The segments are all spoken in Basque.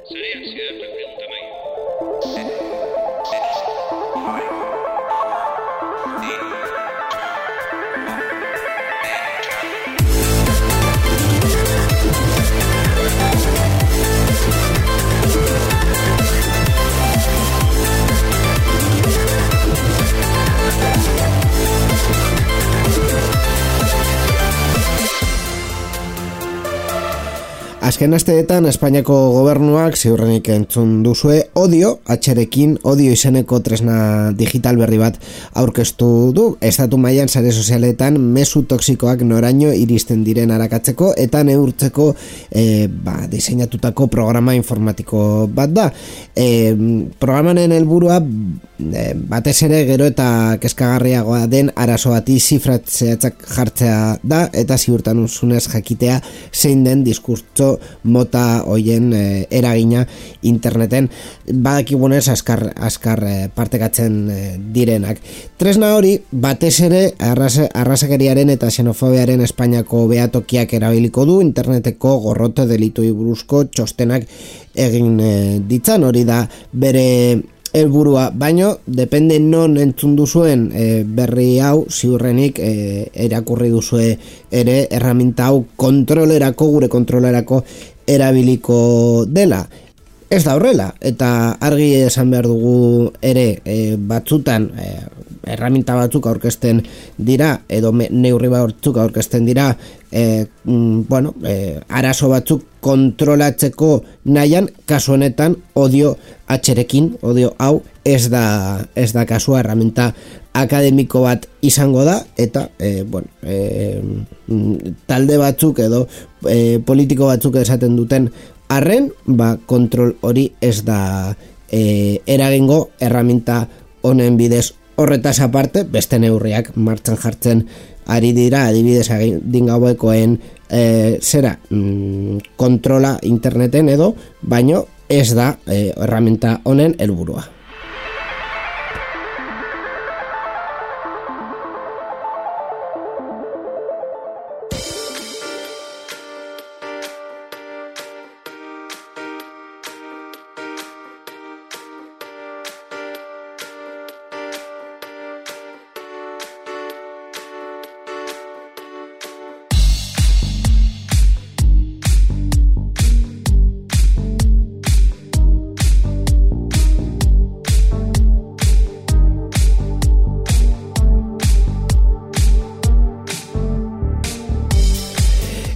Sería cierta pregunta, Mike. Azken asteetan Espainiako gobernuak ziurrenik entzun duzue Odio, atxerekin Odio izeneko tresna digital berri bat aurkeztu du. Estatu mailan sare sozialetan mezu toxikoak noraino iristen diren arakatzeko eta neurtzeko diseinatutako programa informatiko bat da. Programaren helburua batez ere gero eta kezkagarriagoa den arazo bati zifratzeatzak jartzea da eta ziurtasunez jakitea zein den diskurtso mota hoien eragina interneten badakigunez azkar partekatzen direnak. Tresna hori batez ere arrazakeriaren eta xenofobiaren Espainiako behatokiak erabiliko du interneteko gorrote delituei buruzko txostenak egin ditzan, hori da bere helburua, baino depende non entzun duzuen berri hau ziurrenik erakurri duzue ere erraminta hau gure kontrolerako erabiliko dela. Ez da horrela, eta argi esan behar dugu ere batzutan erraminta batzuk aurkezten dira edo neurri batzuk aurkezten dira arazo batzuk kontrolatzeko nahian, kasu honetan Odio atxerekin, Odio hau ez da kasua, erraminta akademiko bat izango da eta talde batzuk edo politiko batzuk esaten duten arren, kontrol hori ez da eragingo erraminta honen bidez. Horretaz aparte, beste neurriak martxan jartzen ari dira, adibidez adingauekoen kontrola interneten edo, baino ez da erraminta honen helburua.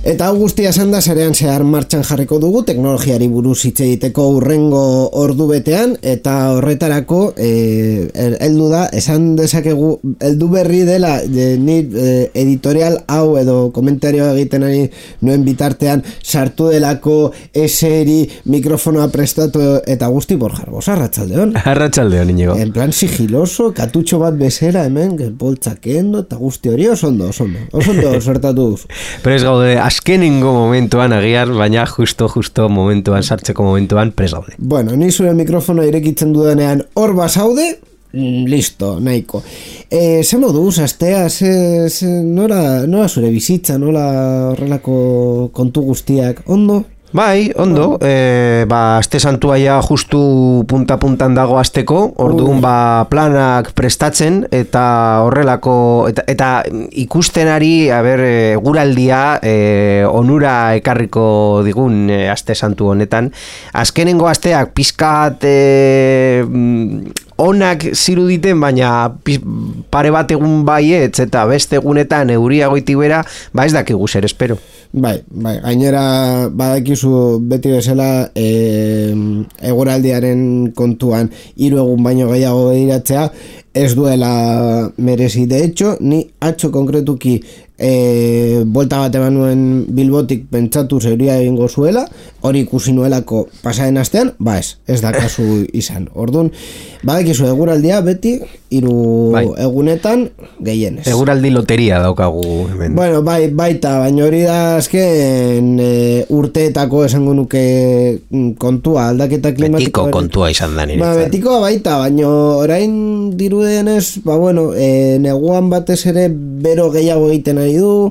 Eta hau guztia esan da sarean zehar martxan jarriko dugu teknologiari buruz hitz egiteko hurrengo ordu betean, eta horretarako heldu da, esan dezakegu heldu berri dela ni editorial hau edo komentario egiten ari nuen bitartean sartu delako eseri mikrofonoa prestatu eta guzti. Borja Arbosa, arratsaldeon. Arratsaldeon, Iñigo. En plan sigiloso, katutxo bat bezera hemen, poltsakendo eta guzti hori oso ondo sortatu duzu. Prez gaude azkenengo momentuan agiar, baina justo momentuan, sartzeko momentuan prez gaude. Bueno, ni zure mikrofonoa irekitzen dudanean hor basaude, listo, nahiko. Zer moduz, astea, nola zure bizitza, nola horrelako kontu guztiak, ondo? Bai, ondo, aste santua ja justu punta-puntan dago asteko, orduan planak prestatzen eta horrelako, eta ikustenari, eguraldia onura ekarriko digun aste santu honetan. Azkenengo asteak pizkat onak ziruditen, baina pare bat egun baietz eta beste egunetan euria goiti bera, ez dakigu zer espero. Bai, gainera badakizu beti bezala eguraldiaren kontuan 3 egun baino gehiago begiratzea ez duela merezi. De hecho, ni atzo konkretuki bolta bat eman nuen Bilbotik pentsatu zeuria egingo zuela, hori ikusi nuelako pasaren astean, ez da kasu izan. Orduan, badakizu eguraldia beti 3 egunetan gehienez. Eguraldi loteria daukagu hemen. Bueno, baita, baina hori da azken urteetako esango nuke kontua, aldaketa klimatiko. Betiko kontua izan da niretzat. Betikoa baita, baina orain dirudenez, neguan batez ere bero gehiago egiten ari du,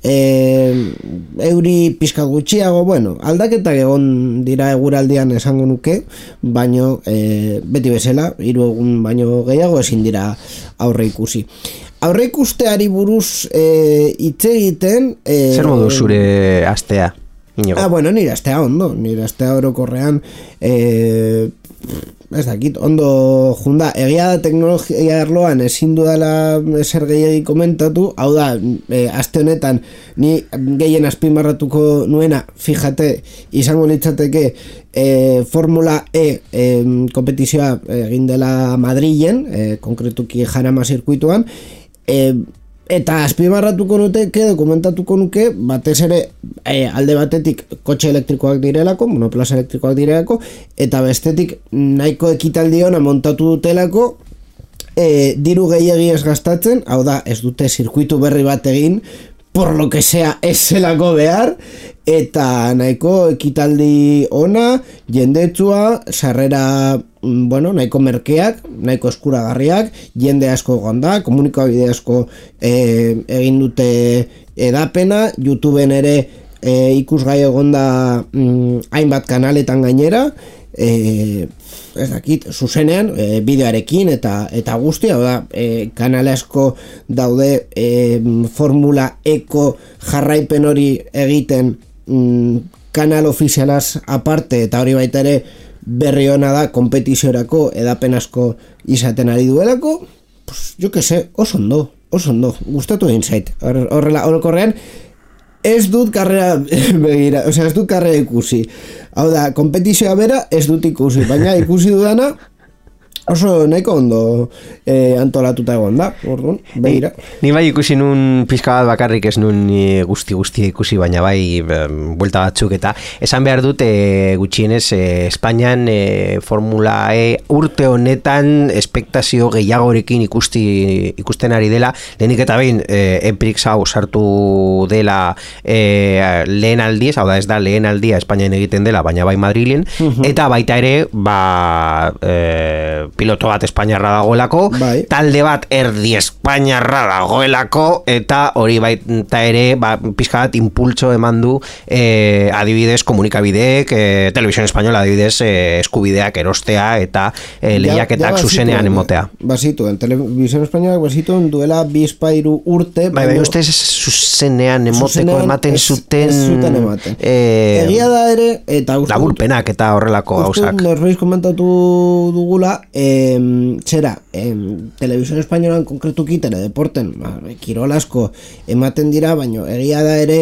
euri pizkat gutxiago, bueno, aldaketak egon dira eguraldian esango nuke, baino beti bezala, 3 egun baino gehiago ezin dira aurre ikusi. Aurre ikusteari buruz hitz egiten... Zer modu zure astea? Bueno, nire astea ondo, nire astea orokorrean ez dakit, ondo junda, egia da teknologia arloan ezin dudala zer gehiagi komentatu, hau da, aste honetan ni gehien azpimarratuko nuena, fíjate, izango litzateke Formula E kompetizioa egin dela Madrilen, konkretuki Jarama zirkuituan, eta azpimarratuko nuke, dokumentatuko nuke, batez ere alde batetik kotxe elektrikoak direlako, monoplaza elektrikoak direlako, eta bestetik nahiko ekitaldi ona montatu dutelako, diru gehiegi ez gastatzen, hau da, ez dute zirkuitu berri bat egin, por lo que sea ez zelako behar, eta nahiko ekitaldi ona, jendetsua, sarrera, bueno, nahiko merkeak, nahiko eskuragarriak, jende asko egon da, komunikabide asko egin dute edapena, YouTubeen ere ikusgai egon da hainbat kanaletan gainera, ez dakit, zuzenean, bideoarekin eta guzti, hau da, kanale asko daude Formula Eko jarraipen hori egiten kanal ofizialaz aparte, eta hori baita ere berri hona da kompetiziorako edapen asko izaten ari duelako, pues, jo que se, oso ondo, gustatu egin zait, horrela, orokorrean, ez dut karrera begira, ez dut karrera ikusi. Hau da, kompetizioa bera ez dut ikusi, baina ikusi dudana oso nahiko ondo antolatuta egon da, orduan, begira. Ni bai ikusi nun pizka bat bakarrik ez nun guzti ikusi, baina bai buelta batzuk, eta esan behar dut gutxienez Espainian Formula E urte honetan espektazio gehiagorekin ikusten ari dela, lehenik eta behin Enprix hau sartu dela lehen aldiz, hau da ez da lehen aldia Espainian egiten dela, baina bai Madrilen, eta baita ere piloto bat espainiarra dagoelako, bai. Talde bat erdi espainiarra dagoelako, eta hori baita ere pizka bat impultso eman du adibidez komunikabideek, Televisión Española adibidez eskubideak erostea eta lehiaketak zuzenean emotea. Basituen, Televisión Española basituen duela 2-3 urte. Bai, ustez zuzenean emoteko ematen zuten ematen. Egia da ere, eta laburpenak eta horrelako gauzak. Norbeiz komentatu dugula, zera, Televisión Españolan konkretuki teledeporten, kirol asko ematen dira, baina egia da ere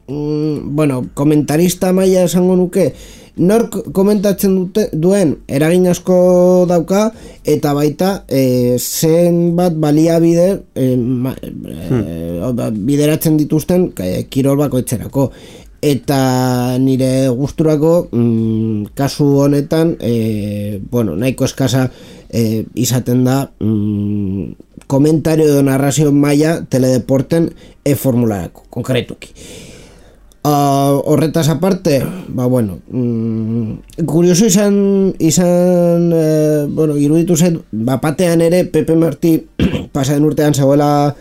bueno, komentarista maila esango nuke, nork komentatzen duen eragin asko dauka, eta baita zenbat baliabide bideratzen dituzten kirol bakoitzerako. Eta nire gusturako kasu honetan bueno, nahiko eskasa izaten da komentario edo narrazio maila teledeporten formularako, konkretuki. Horretaz aparte, bueno, kurioso izan bueno, iruditu zen, batean ere Pepe Martí pasaden urtean zegoela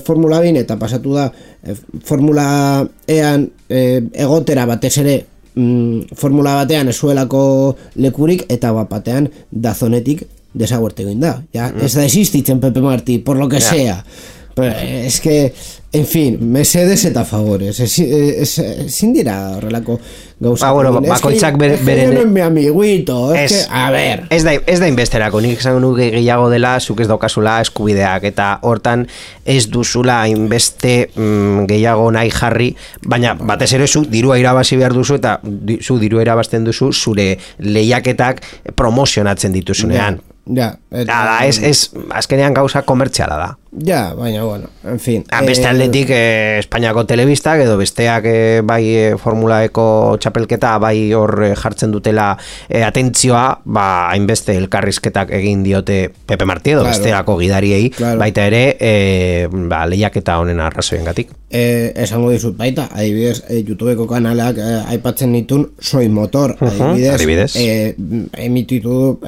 Formula 2 eta pasatu da Formula Ean egotera batez ere Formula batean ezuelako lekurik, eta batean dazonetik desaguerte egin da. Ja, ez da existitzen Pepe Martí, por lo que sea. Pero es que, en fin, mesedes eta favores. Ezin dira horrelako gauza. Bueno, bakoitzak beren... Es mi amiguito, a ver. Ez da inbesterako, nik esan nuke gehiago dela, zuk ez daukazula eskubideak, eta hortan ez duzula inbeste gehiago nahi jarri, baina batez ere zu dirua irabazi behar duzu, eta zu dirua irabazten duzu zure lehiaketak promozionatzen dituzunean. Ja, ez azkenean gauza komertziala da. Ja, baina, bueno, en fin. Beste aldetik Espainiako telebistak edo besteak bai Formula Eko txapelketa bai hor jartzen dutela atentzioa, hainbeste elkarrizketak egin diote Pepe Martí edo besteako gidariei, baita ere lehiaketa honen arrazoiengatik. Esango dizut baita, adibidez, YouTubeko kanalak aipatzen ditun Soy Motor, adibidez. Emititu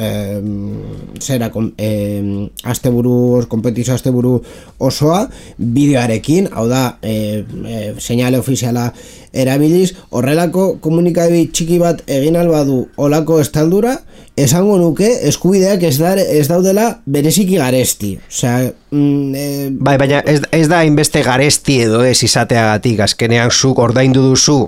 zera, kompetizio asteburu mugimendu osoa, bideoarekin, hau da, seinale ofiziala erabiliz, horrelako komunikabide txiki bat egin albadu olako estaldura, esango nuke eskubideak ez daudela bereziki garesti. Osea, bai, baina ez da inbeste garesti edo ez izateagatik, azkenean zuk ordaindu duzu,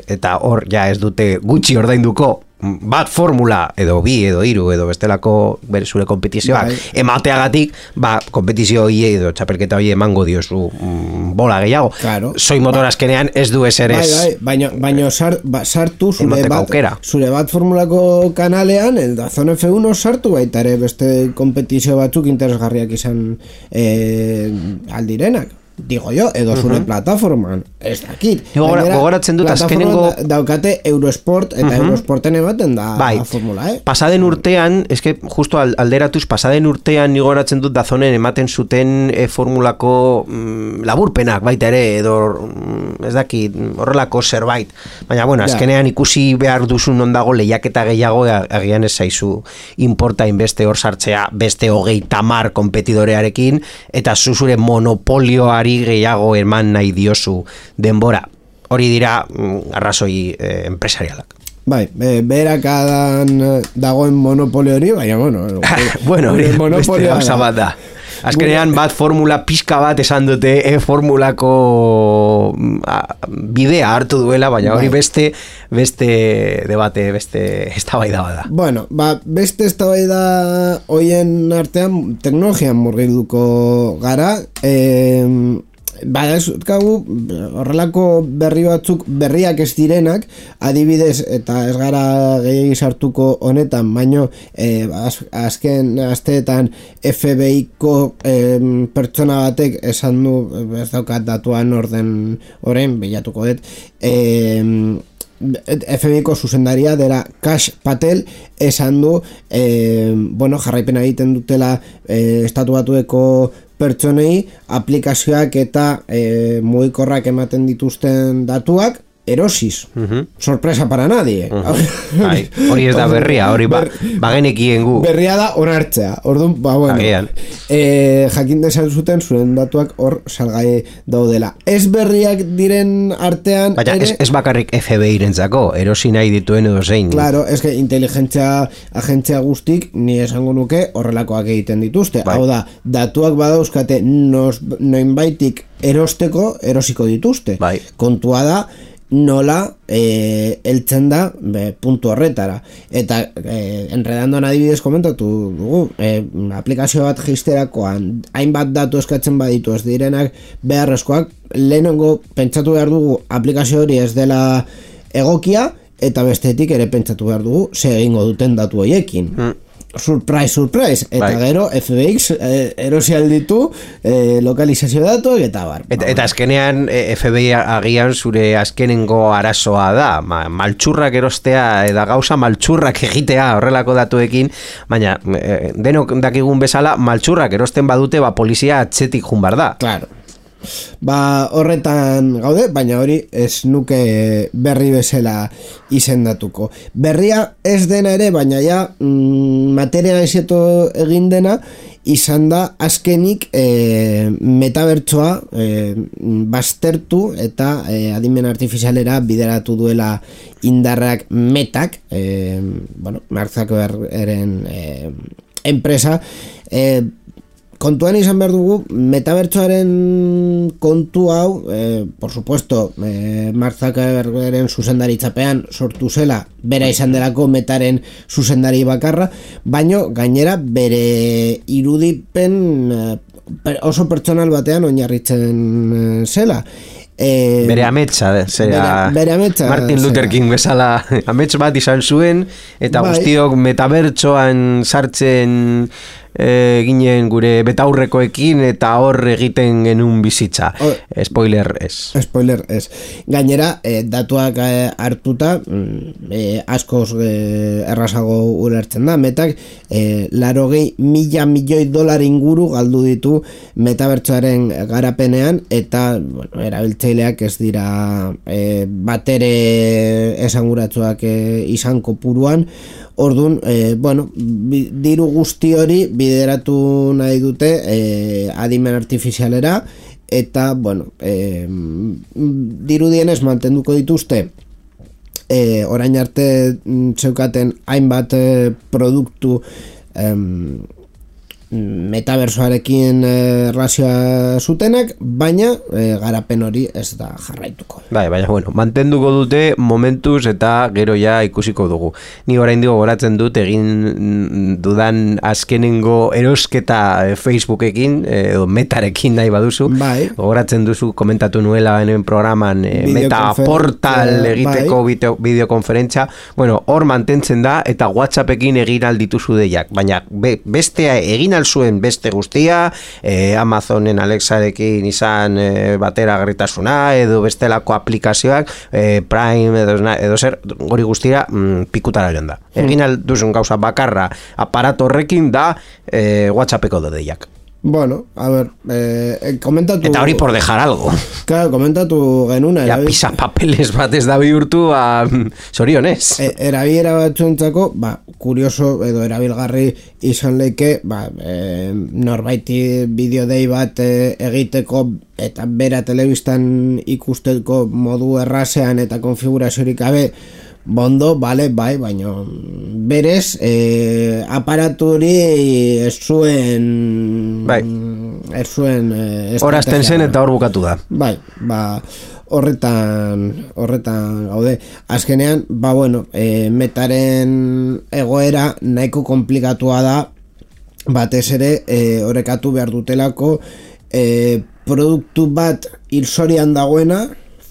eta hor ja ez dute gutxi ordainduko, bat formula edo bi edo hiru edo bestelako zure kompetizioak emateagatik, kompetizio hori edo txapelketa hori emango diozu bola gehiago. Claro. Soy motor azkenean ez du ezer ez. Baina sartu zure bat formulako kanalean, el Dazón F1 sartu baita ere beste kompetizio batzuk interesgarriak izan aldirenak. Digo yo, edo zure plataforman, ez dakit. Gogoratzen dut azkenengo daukate Eurosport, eta Eurosporten ematen da formula, Pasaden urtean, eske justo alderatuz, pasaden urtean gogoratzen dut Dazonen ematen zuten formulako laburpenak baita ere, edo ez dakit, horrelako zerbait. Baina, bueno, azkenean ikusi behar duzun ondago lehiaketa gehiago, agian ez zaizu importa inbeste hor sartzea beste 30 kompetidorearekin, eta zure monopolioari gehiago eman nahi diozu denbora. Hori dira arrazoi empresarialak. Bai, berakadan dagoen monopolio hori, baina bueno, hori beste gauza bat da. Azkenean bat formula pixka bat esan dute formulako bidea hartu duela, baina hori beste debate, beste eztabaida bada. Bueno, beste eztabaida hoien artean teknologian murgilduko gara, horrelako berri batzuk berriak ez direnak, adibidez, eta ez gara gehiagi sartuko honetan, baino azken asteetan FBI-ko pertsona batek esan du, ez daukat datuan orden orain, bilatuko dut, FBI-ko zuzendaria dela Kash Patel esan du, jarraipena egiten dutela estatu batueko pertsonei aplikazioak eta mugikorrak ematen dituzten datuak erosiz. Sorpresa para nadie. Hori ez da berria, hori bagenekien gu. Berria da onartzea. Orduan, jakin desan zuten zuen datuak hor salgai daudela. Ez berriak diren artean... Baina ez bakarrik FBI-rentzako, erosi nahi dituen edo zein. Claro, ez que inteligentzia agentzia guztik, ni esango nuke horrelakoak egiten dituzte. Hau da, datuak badauzkate noinbaitik erosiko dituzte. Kontua da, nola heltzen da puntu horretara. Eta enredandoan adibidez komentatu dugu, aplikazio bat jisterakoan hainbat datu eskatzen baditu ez direnak beharrezkoak, lehenengo pentsatu behar dugu aplikazio hori ez dela egokia, eta bestetik ere pentsatu behar dugu ze egingo duten datu horiekin. Surprise, eta gero FBX erosi alditu lokalizazio datuak eta bar. Eta azkenean FBI agian zure azkenengo arazoa da, maltsurrak erostea eta gauza maltsurrak egitea horrelako datuekin, baina denok dakigun bezala maltsurrak erosten badute polizia atzetik jun bar da. Claro. Horretan gaude, baina hori ez nuke berri bezala izendatuko. Berria ez dena ere, baina ja materializatu egin dena izan da azkenik metabertsoa baztertu eta adimen artifizialera bideratu duela indarrak Metak, Mark Zuckerbergen enpresa. Kontuan izan behar dugu, metabertsoaren kontu hau, por supuesto, Mark Zuckerbergen zuzendaritzapean sortu zela, bera izan delako Metaren zuzendari bakarra, baino gainera bere irudipen oso pertsonal batean oinarritzen zela. Bere ametsa, bere ametsa, Martin Luther King bezala amets bat izan zuen, eta guztiok metabertsoan sartzen ginen gure betaurrekoekin eta hor egiten genuen bizitza. Spoiler ez. Gainera, datuak hartuta askoz errazago ulertzen da. Metak 80.000 milioi dolar inguru galdu ditu metabertsoaren garapenean, eta erabiltzaileak ez dira batere esanguratsuak izan kopuruan. Orduan, diru guzti hori bideratu nahi dute adimen artifizialera, eta, bueno, dirudienez mantenduko dituzte orain arte zeukaten hainbat produktu metaversoarekin erlazioa zutenak, baina garapen hori ez da jarraituko. Baina, bueno, mantenduko dute momentuz eta gero ja ikusiko dugu. Ni oraindik gogoratzen dut egin dudan azkenengo erosketa Facebookekin edo Metarekin nahi baduzu. Bai. Gogoratzen duzu komentatu nuela hemen programan Meta portal egiteko bideokonferentzia. Bueno, hor mantentzen da eta WhatsAppekin egin aldituzu deiak, baina bestea egin zuen beste guztia, Amazonen Alexarekin izan bateragarritasuna edo bestelako aplikazioak, Prime edo zer, hori guztia pikutara joan da. Egin alduzun gauza bakarra aparato horrekin da WhatsAppeko dodeiak. Bueno, a ver, komentatu... Eta hori por dejar algo. Claro, komentatu genuna. Ja, pisa papeles bat ez da bihurtu, sorionez. Erabilera batzuentzako, kurioso edo erabilgarri izan leike, norbaiti bideodei bat egiteko eta bera telebistan ikusteko modu errazean eta konfiguraziorik gabe, bondo, bai, baina berez aparatu hori ez zuen horazten zen eta hor bukatu da. Bai, horretan gaude. Azkenean, bueno, Metaren egoera nahiko komplikatua da, batez ere orekatu behar dutelako produktu bat hilzorian dagoena,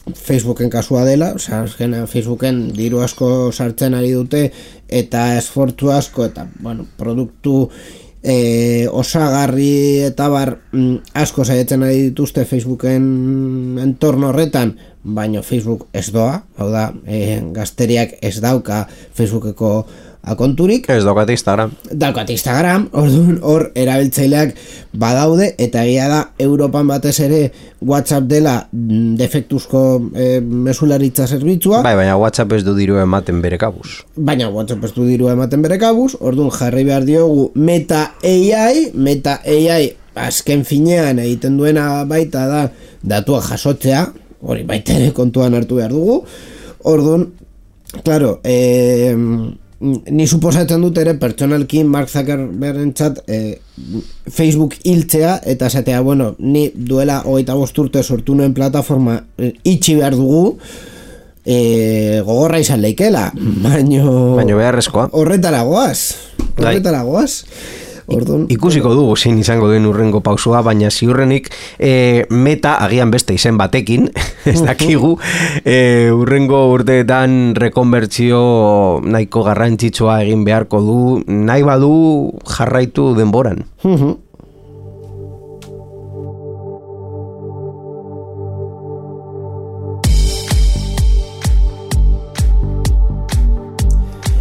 Facebooken kasua dela, azkenean Facebooken diru asko sartzen ari dute eta esfortzu asko eta, bueno, produktu osagarri eta asko saietzen ari dituzte Facebooken entorno horretan, baina Facebook ez doa, hau da, gazteriak ez dauka Facebookeko akonturik. Ez daukat Instagram. Daukat Instagram, hor erabiltzaileak badaude, eta egia da Europan batez ere WhatsApp dela defektuzko mesularitza zerbitzua. Baina WhatsApp ez du diru ematen bere kabuz. Orduan jarri behar diogu Meta AI azken finean egiten duena baita da datua jasotzea, hori baita ere kontuan hartu behar dugu. Orduan, claro, ni suposatzen dut ere pertsonalki Mark Zuckerbergentzat Facebook hiltzea eta esatea, bueno, ni duela 25 urte sortu nuen plataforma itxi behar dugu, gogorra izan leikela, baino beharrezkoa. Horretara goaz. Ikusiko dugu zein izango den urrengo pausua, baina ziurrenik Meta agian beste izen batekin, ez dakigu, urrengo urteetan rekonbertsio nahiko garrantzitsua egin beharko du, nahi badu jarraitu denboran.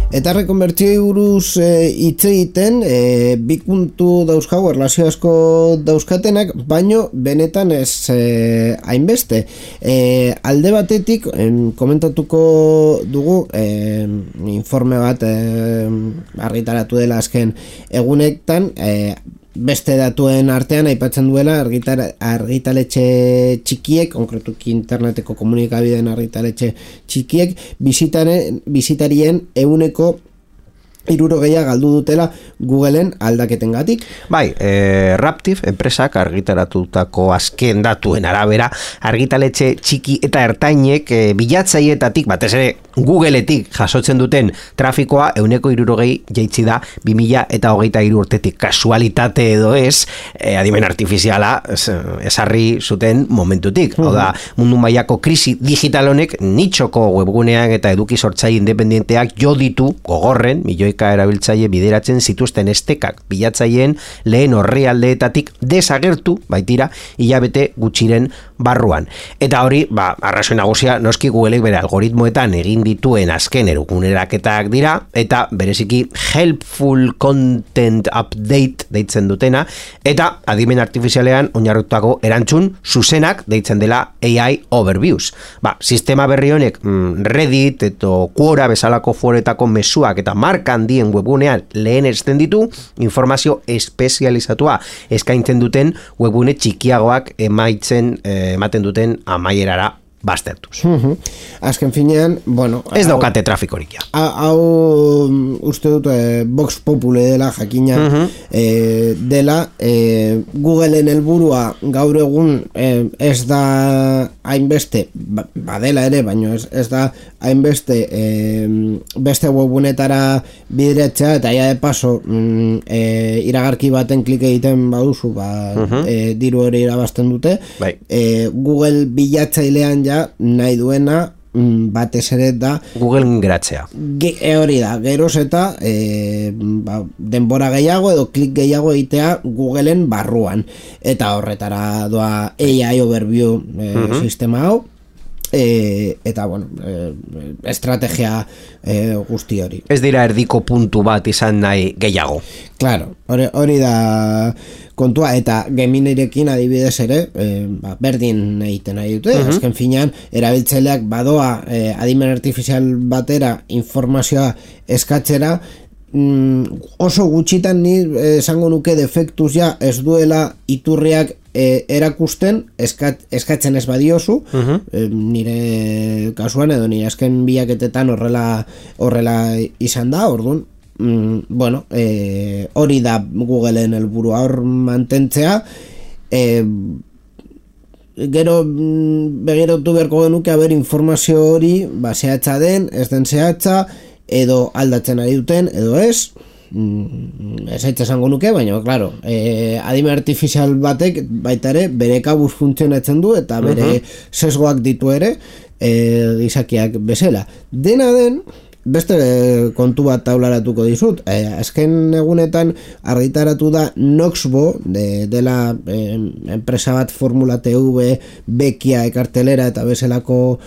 Eta rekonbertsioi buruz hitz egiten, bi puntu dauzkagu, erlazio asko dauzkatenak, baino benetan ez hainbeste. Alde batetik, komentatuko dugu, informe bat argitaratu dela azken egunetan, beste datuen artean aipatzen duela argitaletxe txikiek, konkretuki interneteko komunikabideen argitaletxe txikiek, bisitarien 60% galdu dutela Googleen aldaketengatik. Bai, Raptive enpresak argitaratutako azken datuen arabera, argitaletxe txiki eta ertainek bilatzaietatik, batez ere Googleetik jasotzen duten trafikoa 60% jaitsi da 2023 urtetik. Kasualitate edo ez, adimen artifiziala esarri zuten momentutik. Hau da, mundu mailako krisi digital honek nitxoko webguneak eta eduki sortzaile independenteak jo ditu gogorren milioika erabiltzaile bideratzen zituzten estekak bilatzaileen lehen orrialdeetatik desagertu baitira hilabete gutxiren barruan. Eta hori, arrazoi nagusia noski Googleek bere algoritmoetan egin dituen azken eguneraketak dira, eta bereziki helpful content update deitzen dutena, eta adimen artifizialean oinarritutako erantzun zuzenak deitzen dela AI overviews. Sistema berri honek Reddit eta Quora bezalako foretako mezuak eta marka handien webgunean lehenesten ditu, informazio espezializatua eskaintzen duten webgune txikiagoak ematen duten amaierara baztertuz. Azken finean, bueno... Ez daukate trafikorik ja. Hau uste dut Vox Populi dela, jakina dela, Googleen helburua gaur egun ez da hainbeste, badela ere, baina ez da hainbeste beste webgunetara bideratzea, eta ja de paso iragarki baten klik egiten baduzu, diru hori irabazten dute. Google bilatzailean ja nahi duena batez ere da Google geratzea. Hori da, geroz eta denbora gehiago edo klik gehiago egitea Googleen barruan, eta horretara doa AI Overview sistema hau, eta bueno, estrategia guzti hori. Ez dira erdiko puntu bat izan nahi gehiago. Claro, hori da kontua, eta Geminirekin adibidez ere berdin egiten nahi dute, azken finean erabiltzaileak badoa adimen artifizial batera informazioa eskatzera, oso gutxitan ni esango nuke defektuz ja ez duela iturriak erakusten eskatzen ez badiozu, nire kasuan edo nire azken bilaketetan horrela izan da, orduan bueno, hori da Googleen helburua, hor mantentzea, gero begiratu beharko genuke haber informazio hori zehatza den, ez den zehatza, edo aldatzen ari duten, edo ez, ez aitz esango nuke, baina, claro, adime artifizial batek baita ere bere kabuz funtzionatzen du, eta bere sesgoak ditu ere, gizakiak bezala. Dena den, beste kontu bat taularatuko dizut, azken egunetan argitaratu da Noxbo, dela enpresa bat Formula TV, Bekia, Ekartelera eta bezalako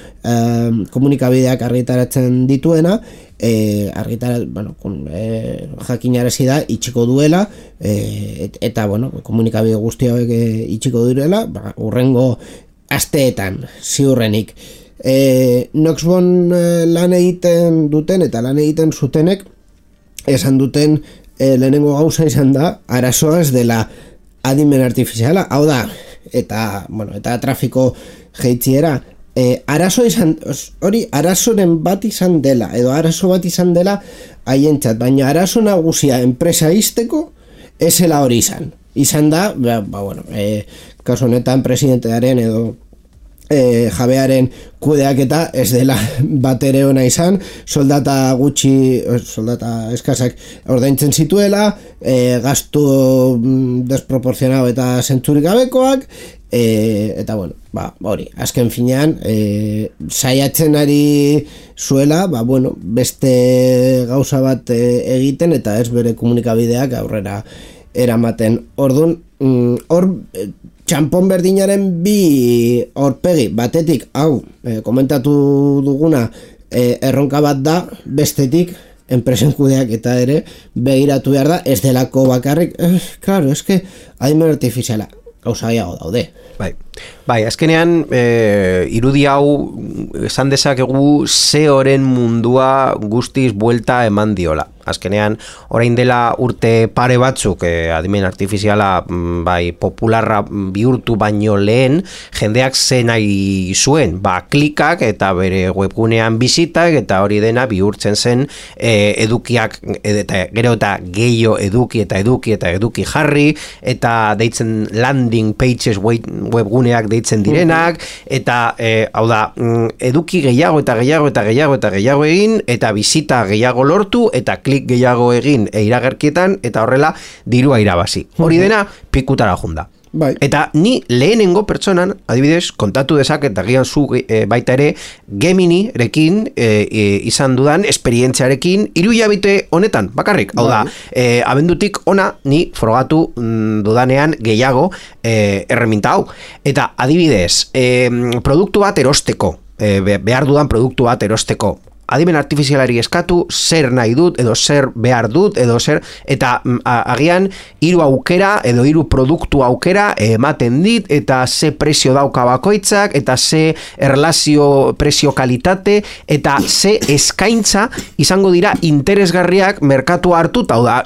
komunikabideak argitaratzen dituena, jakinarazi da itxiko duela, eta bueno, komunikabide guztiak itxiko direla, urrengo asteetan ziurrenik. Noxbon lan egiten duten eta lan egiten zutenek esan duten lehenengo gauza izan da arazoa ez dela adimen artifiziala, hau da, eta trafiko jeitziera, arazo izan, hori arazoren bat izan dela, edo arazo bat izan dela haientzat, baina arazo nagusia enpresa izteko esela hori izan da, kasu honetan presidentearen edo jabearen kudeaketa ez dela bat ere ona izan, soldata eskasak ordaintzen zituela, gastu desproportzionado eta zentzurik gabekoak, eta bueno, hori, azken finean saiatzen ari zuela, beste gauza bat egiten eta ez bere komunikabideak aurrera eramaten. Orduan, hor txampon berdinaren bi aurpegi, batetik hau komentatu duguna erronka bat da, bestetik enpresen kudeak eta ere begiratu behar da, ez delako bakarrik, claro, eske adimen artifiziala gauza gehiago daude. Bai, azkenean irudi hau esan dezakegu zeoren mundua guztiz buelta eman diola. Azkenean, orain dela urte pare batzuk adimen artifiziala popularra bihurtu baino lehen, jendeak ze nahi zuen, klikak eta bere webgunean bizitak eta hori dena bihurtzen zen edukiak, eta gero eta gehiago eduki eta eduki jarri, eta deitzen landing pages webguneak deitzen direnak, eta hau da, eduki gehiago egin, eta bizita gehiago lortu, eta klik gehiago egin iragarkietan, eta horrela dirua irabazi. Hori dena pikutara junda. Eta ni lehenengo pertsonan, adibidez, kontatu dezaket, agian zu baita ere, Geminirekin izan dudan esperientziarekin 3 hilabete honetan, bakarrik. Hau da, abendutik ona ni frogatu dudanean gehiago erreminta hau. Eta adibidez, produktu bat erosteko, behar dudan produktu bat erosteko, adimen artifizialari eskatu zer nahi dut, edo zer behar dut, edo zer, eta agian hiru aukera, edo hiru produktu aukera ematen dit, eta ze prezio dauka bakoitzak, eta ze erlazio prezio kalitate, eta ze eskaintza izango dira interesgarriak merkatu hartu, hau da,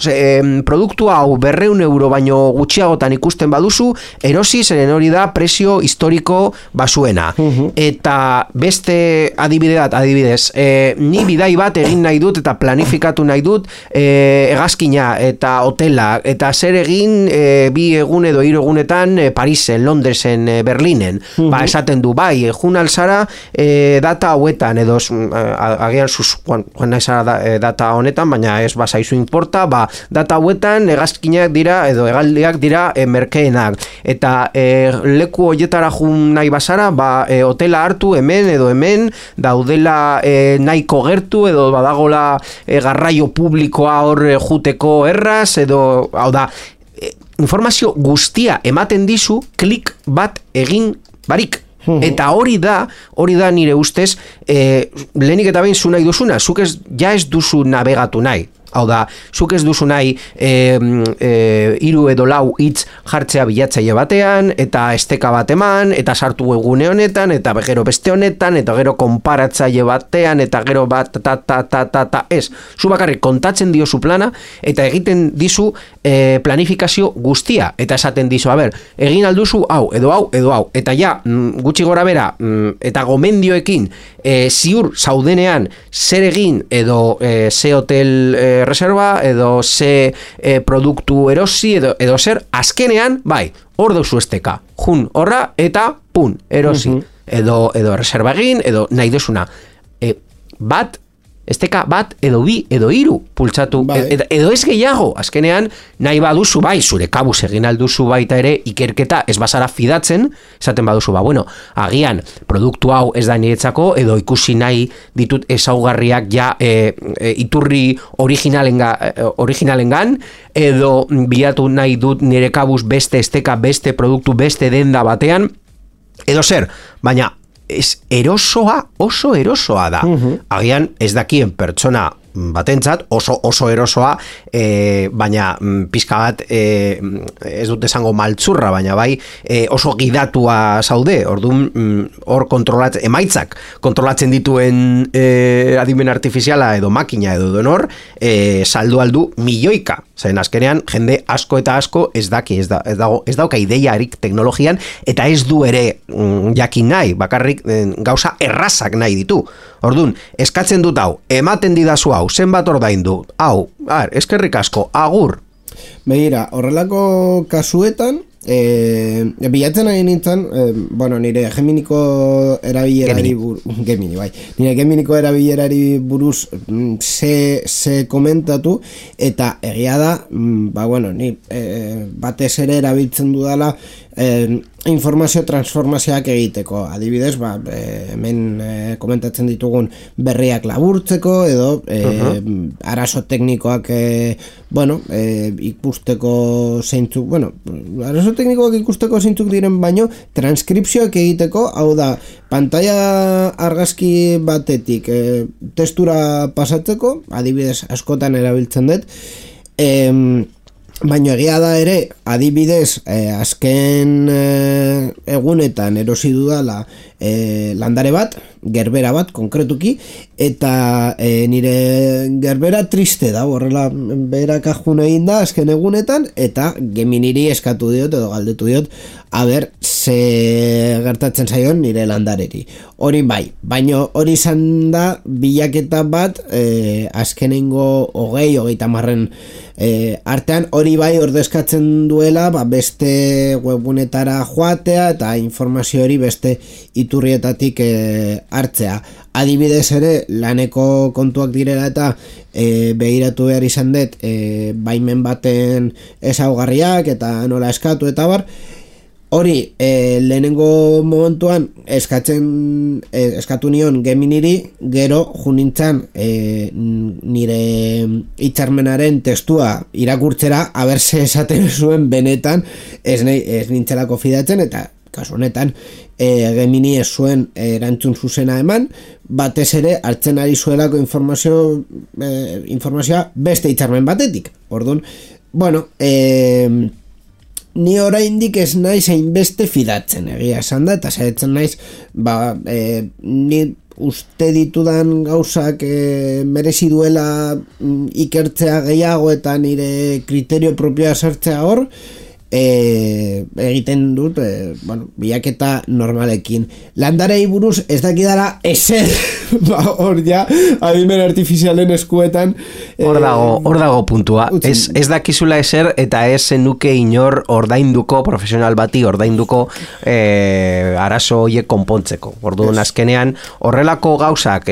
produktu hau 200 euro baino gutxiagotan ikusten baduzu, erosi zeren hori da prezio historiko basuena. Eta beste adibidez, ni bidai bat egin nahi dut eta planifikatu nahi dut hegazkina eta hotela, eta zer egin 2 egun edo 3 egunetan Parisen, Londresen, Berlinen. Ba, esaten du, bai, jun alzara data hauetan, edo agian joan naizara data honetan, baina ez bazaizu importa, ba, data hauetan hegazkinak dira, edo hegaldiak dira merkeenak. Eta leku hoietara jun nahi bazara, ba, hotela hartu hemen edo hemen, daudela nahiko gertu, edo badagola garraio publikoa hor juteko erraz, edo, hau da, informazio guztia ematen dizu klik bat egin barik. Eta hori da nire ustez, lehenik eta behin zu nahi duzuna, zuk ez duzu navegatu nahi. Hau da, zuk ez duzu nahi 3 edo 4 hitz jartzea bilatzaile batean, eta esteka bat eman, eta sartu webgune honetan, eta gero beste honetan, eta gero konparatzaile batean, eta gero bat ez. Zu bakarrik kontatzen diozu plana, eta egiten dizu planifikazio guztia, eta esaten dizu, egin alduzu hau, edo hau, edo hau, eta ja, gutxi gora bera, eta gomendioekin, ziur zaudenean zer egin, edo ze hotel reserva, edo ze produktu erosi, edo zer, azkenean, bai, hor dauzu esteka, jun horra, eta pun, erosi, edo reserva egin, edo nahi duzuna, esteka bat, edo 2, edo 3 pultsatu, edo ez gehiago, azkenean, nahi baduzu, bai, zure kabuz egin alduzu baita ere, ikerketa ez bazara fidatzen, esaten baduzu, ba, bueno, agian, produktu hau ez da niretzako, edo ikusi nahi ditut ezaugarriak ja iturri originalengan, edo bilatu nahi dut nire kabuz beste esteka, beste produktu, beste denda batean, edo zer, baina, oso erosoa da. Agian ez dakien pertsona batentzat oso erosoa, baina pizka bat ez dut esango maltzurra, baina bai oso gidatua zaude, orduan hor emaitzak kontrolatzen dituen adimen artifiziala edo makina edo donor, saldu aldu milioika, zen azkenean jende asko eta asko ez dauka ideiarik teknologian, eta ez du ere jakin nahi, bakarrik gauza errazak nahi ditu. Orduan, eskatzen dut hau, ematen didazu hau, zenbat ordaindu, hau, eskerrik asko, agur. Begira, horrelako kasuetan, bilatzen ari nintzen, nire Geminiko erabilerari nire Geminiko erabilerari buruz ze komentatu, eta egia da, ni batez ere erabiltzen dudala informazio transformazioak egiteko, adibidez, hemen komentatzen ditugun berriak laburtzeko, edo arazo teknikoak ikusteko zeintzuk, arazo teknikoak ikusteko zeintzuk diren baino, transkripzioak egiteko, hau da, pantalla argazki batetik testura pasatzeko, adibidez askotan erabiltzen dut, baina egia da ere, adibidez, azken egunetan erosi dudala landare bat, gerbera bat, konkretuki, eta nire gerbera triste da, horrela berak ajun egin da azken egunetan, eta Geminiri eskatu diot, edo galdetu diot, ze gertatzen zaion nire landareri. Hori bai, baina hori izan da bilaketa bat azkenengo 20-30 artean, hori bai ordezkatzen duela beste webgunetara joatea eta informazio hori beste iturrietatik hartzea. Adibidez ere, laneko kontuak direla eta begiratu behar izan dut baimen baten ezaugarriak eta nola eskatu eta bar. Hori, lehenengo momentuan eskatu nion Geminiri, gero junintzan nire hitzarmenaren testua irakurtzera, ze esaten zuen benetan ez nintzelako fidatzen, eta kasu honetan Gemini ez zuen erantzun zuzena eman, batez ere hartzen ari zuelako informazioa beste hitzarmen batetik. Orduan, bueno, ni oraindik ez naiz hainbeste fidatzen, egia esan da, eta saiatzen naiz, ni uste ditudan gauzak merezi duela ikertzea gehiago eta nire kriterio propioa sartzea hor, egiten dut bilaketa normalekin. Landarei buruz ez dakidala ezer hor ja adimen artifizialen eskuetan hor dago puntua. Ez dakizula ezer eta ez zenuke inor ordainduko, profesional bati ordainduko arazo horiek konpontzeko. Orduan azkenean horrelako gauzak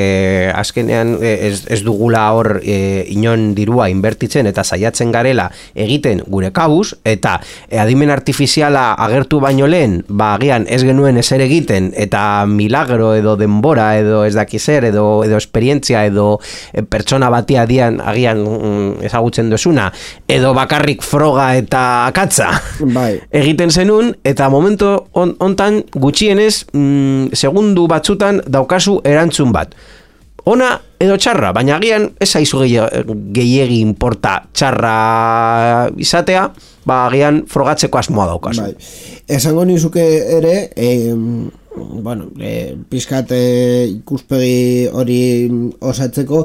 azkenean ez dugula hor inon dirua inbertitzen eta saiatzen garela egiten gure kabuz, eta adimen artifiziala agertu baino lehen, agian ez genuen ezer egiten eta milagro edo denbora edo ez dakizer edo esperientzia edo pertsona bati agian ezagutzen duzuna edo bakarrik froga eta akatza egiten zenun, eta momento hontan gutxienez segundu batzutan daukazu erantzun bat. Ona edo txarra, baina agian ez aizu gehiegi importa txarra izatea, agian frogatzeko asmoa daukazu. Esango nizuke ere, pizkat ikuspegi hori osatzeko,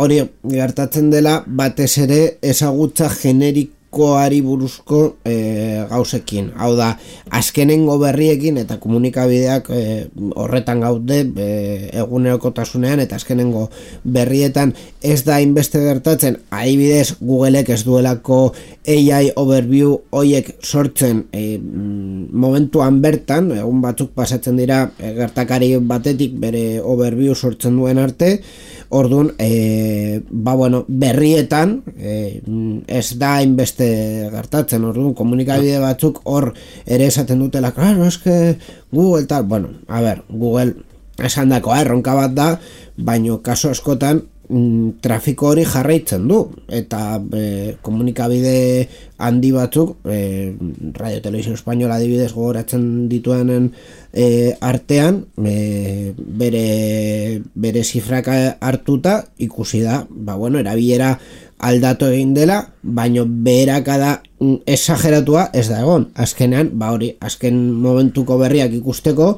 hori gertatzen dela batez ere ezagutza generikoari buruzko gauzekin. Hau da, azkenengo berriekin eta komunikabideak horretan gaude egunerokotasunean, eta azkenengo berrietan ez da inbeste gertatzen, adibidez Googleek ez duelako AI overview hoiek sortzen momentuan bertan, egun batzuk pasatzen dira gertakari batetik bere overview sortzen duen arte. Orduan, berrietan ez da inbeste gertatzen. Orduan, komunikabide batzuk hor ere esaten dutela, claro, eske Google tal, Google esan dako erronka bat da, baino kaso askotan trafiko hori jarraitzen du, eta komunikabide handi batzuk, Radio Televisión Española adibidez gogoratzen dituenen artean, bere zifrak hartuta ikusi da, erabilera aldatu egin dela, baino beherakada exageratua ez da egon. Azkenean, azken momentuko berriak ikusteko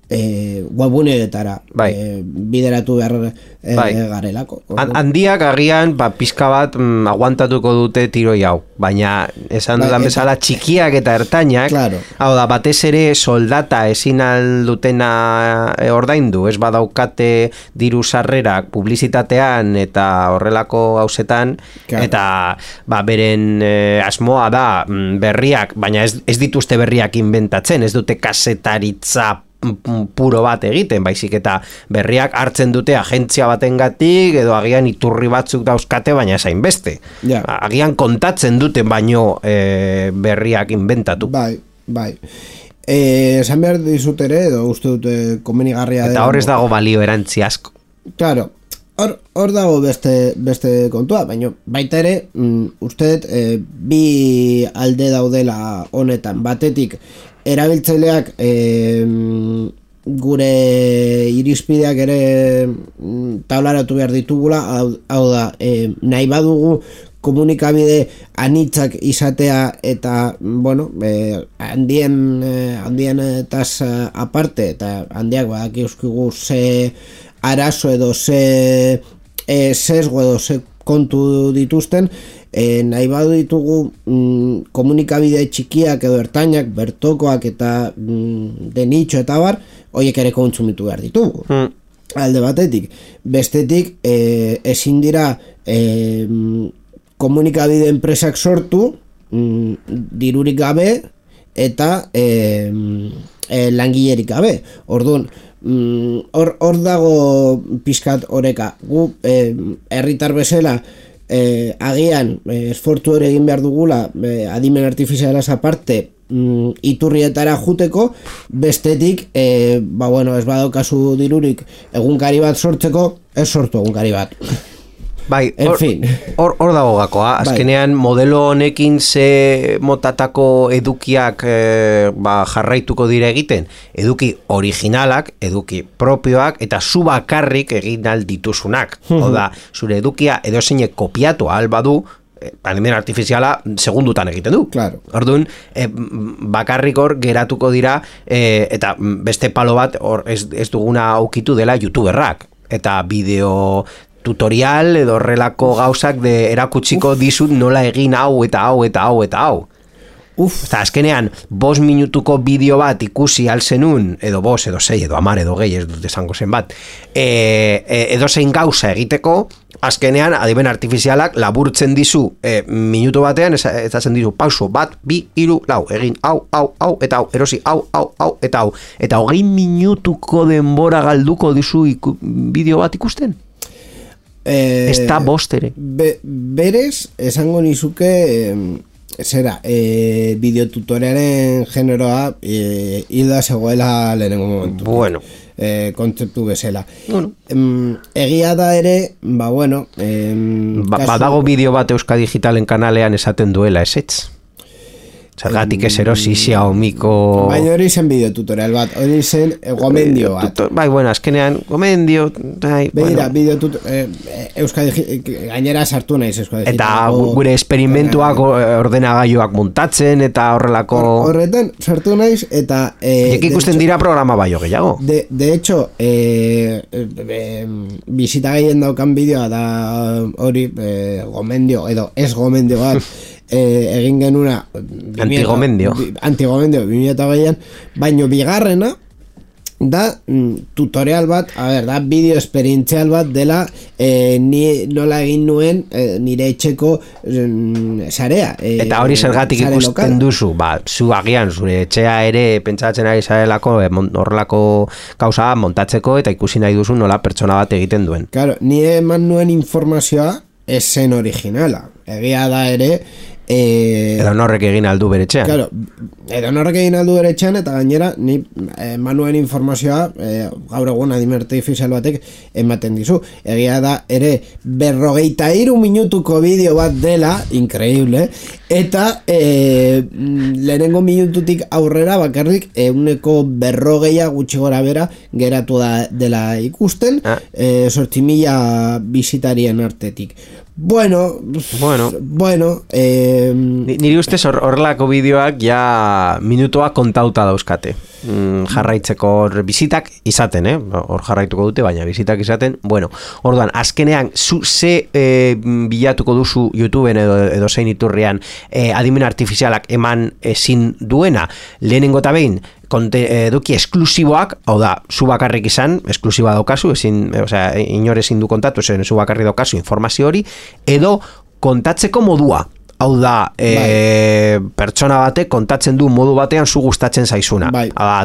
webuneetara bideratu behar garelako. Handiak agian pizka bat aguantatuko dute tiroi hau, baina esan dudan bezala txikiak eta ertainak, hau da, batez ere soldata ezin aldutena ordaindu, ez badaukate diru sarrerak publizitatean eta horrelako gauzetan, eta beren asmoa da berriak, baina ez dituzte berriak inventatzen, ez dute kasetaritza puro bat egiten, baizik eta berriak hartzen dute agentzia batengatik edo agian iturri batzuk dauzkate, baina esain beste. Agian kontatzen dute baino berriak inventatu. Esan behar dizut ere, edo uste dute komenigarria eta hor ez dago balio erantzi asko. Claro, hor dago beste kontua, baina baita ere uste dut bi alde daudela honetan. Batetik erabiltzaileak gure irizpideak ere taularatu behar ditugula, hau da, nahi badugu komunikabide anitzak izatea eta, handien etaz aparte, eta handiak badaki euskigu ze arazo edo ze sesgo edo ze kontu dituzten, nahi badu ditugu komunikabide txikiak edo ertainak, bertokoak eta de nicho eta bar, horiek ere kontsumitu behar ditugu. Alde batetik. Bestetik, ezin dira komunikabide enpresak sortu, dirurik gabe eta langilerik gabe. Orduan, hor dago pizkat oreka. Gu herritar bezala agian esfortu ere egin behar dugula adimen artifizialaz aparte iturrietara juteko, bestetik ez badaukazu dirurik egunkari bat sortzeko, ez sortu egunkari bat. Bai, En fin. Hor dago gakoa, azkenean modelo honekin ze motatako edukiak jarraituko dira egiten, eduki originalak, eduki propioak, eta zu bakarrik egin aldituzunak. Oda, zure edukia edozeinek kopiatu ahal badu, animen artifiziala segundutan egiten du. Claro. Orduan, bakarrik hor geratuko dira, eta beste palo bat hor ez duguna aukitu dela youtuberrak. Eta bideo tutorial edo horrelako gauzak de erakutsiko dizut nola egin hau eta hau eta hau eta hau. Eta azkenean, 5 minutuko bideo bat ikusi alzenun, edo 5, edo 6, edo 10, edo gehi, ez dut esango zen bat, edo zein gauza egiteko, azkenean, adimen artifizialak laburtzen dizu minutu batean, ezatzen dizu, pauso, bat, 2, 3, 4, egin hau, eta hau, erosi, hau, eta hau. Eta 20 minutuko denbora galduko dizu bideo bat ikusten? Ez da bostere. Berez, esango nizuke... zera, bideotutorialen generoa hilda zegoela lehenengo momentu. Bueno. Kontzeptu bezala. Bueno. Egia da ere, bueno... Badago bideo bat Euska Digitalen kanalean esaten duela, esetz? Zergatik ez erosi Xiaomiko... Baina hori zen bideotutorial bat, hori zen gomendio bat. Bai, bueno, azkenean gomendio... Begira, Euska gainera sartu naiz Euska Digitalen. Eta gure esperimentuak ordenagailuak montatzen eta horrelako... Horretan sartu naiz eta... ikusten dira programa baino gehiago. De hecho, bisita gehien daukan bideoa da hori gomendio, edo ez gomendio bat, egin genuna Antigomendio 2008an, baino bigarrena da tutorial bat, da bideo esperientzial bat dela ni nola egin nuen nire etxeko sarea. Eta hori zergatik ikusten duzu, zu agian zure etxea ere pentsatzen ari zarelako horrelako gauza montatzeko eta ikusi nahi duzu nola pertsona bat egiten duen. Claro, nire eman nuen informazioa ez zen originala. Egia da ere edo norrek egin aldu bere etxean. Claro, edo norrek egin aldu bere etxean, eta gainera ni manuen informazioa gaur egun adimen artifizial batek ematen dizu. Egia da ere 53 minutuko bideo bat dela, increíble, eta lehenengo minututik aurrera bakarrik 40 gutxi gora bera geratu dela ikusten, 8.000 bisitarien artetik. Bueno, niri ustez horrelako bideoak ja minutua kontauta dauzkate. Jarraitzeko bizitak izaten, hor jarraituko dute, baina bizitak izaten. Bueno, orduan, azkenean, ze bilatuko duzu YouTubeen edo zein iturrian adimen artifizialak eman ezin duena, lehenengo eta behin, eduki esklusiboak, hau da, zu bakarrik izan, esklusiba daukazu, inor ezin du kontatu, zu bakarrik daukazu informazio hori, edo kontatzeko modua. Hau da, pertsona batek kontatzen du modu batean zu gustatzen zaizuna.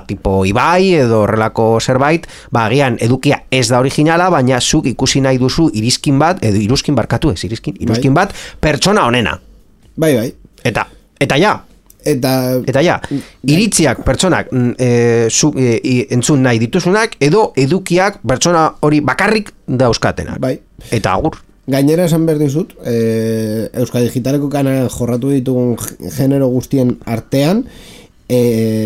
Tipo Ibai edo horrelako zerbait, agian edukia ez da originala, baina zuk ikusi nahi duzu iruzkin bat, edo iruzkin bat, pertsona honena. Bai. Eta ja. Eta ja, iritziak pertsonak entzun nahi dituzunak, edo edukiak pertsona hori bakarrik dauzkatenak. Bai. Eta agur. Gainera esan behar dizut, Euska Digitaleko kanal jorratu ditugun genero guztien artean,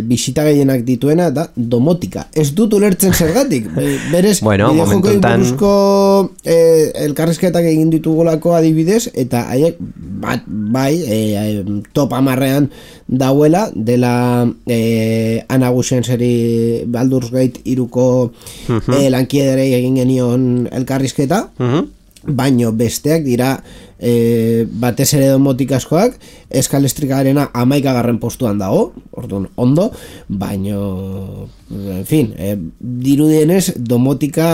bisita gehienak dituena da domotika. Ez dut ulertzen zergatik. Berez, bideojokoei buruzko elkarrizketak egin ditugolako adibidez, eta haiek top 10ean dauela dela Ana Guxenseri Baldur's Gate 3ko lankiederei egin genion elkarrizketa, baino besteak dira batez ere domotikazkoak. Eskalestrikaarena 11. postuan dago, orduan ondo, baino en fin, dirudienez domotika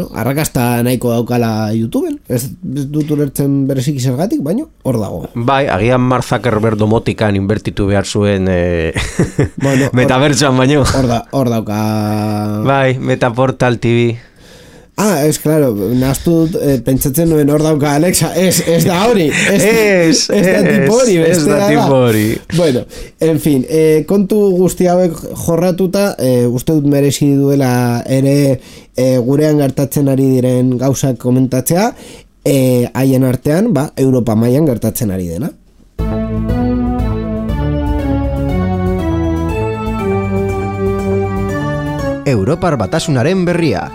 arrakasta nahiko daukala YouTubeen. Ez dut ulertzen bereziki zergatik, baino hor dago. Bai, agian Mark Zuckerberg domotikan inbertitu behar zuen metabertsoan baino. Hor dauka. Bai, Metaportal TV. Ez, claro, nahaztu pentsatzen nuen hor dauka Alexa, ez da hori, ez da tipo hori. Bueno, en fin, kontu guzti hauek jorratuta, uste dut merezi duela ere gurean gertatzen ari diren gauzak komentatzea, haien artean, Europa mailan gertatzen ari dena. Europar Batasunaren berria.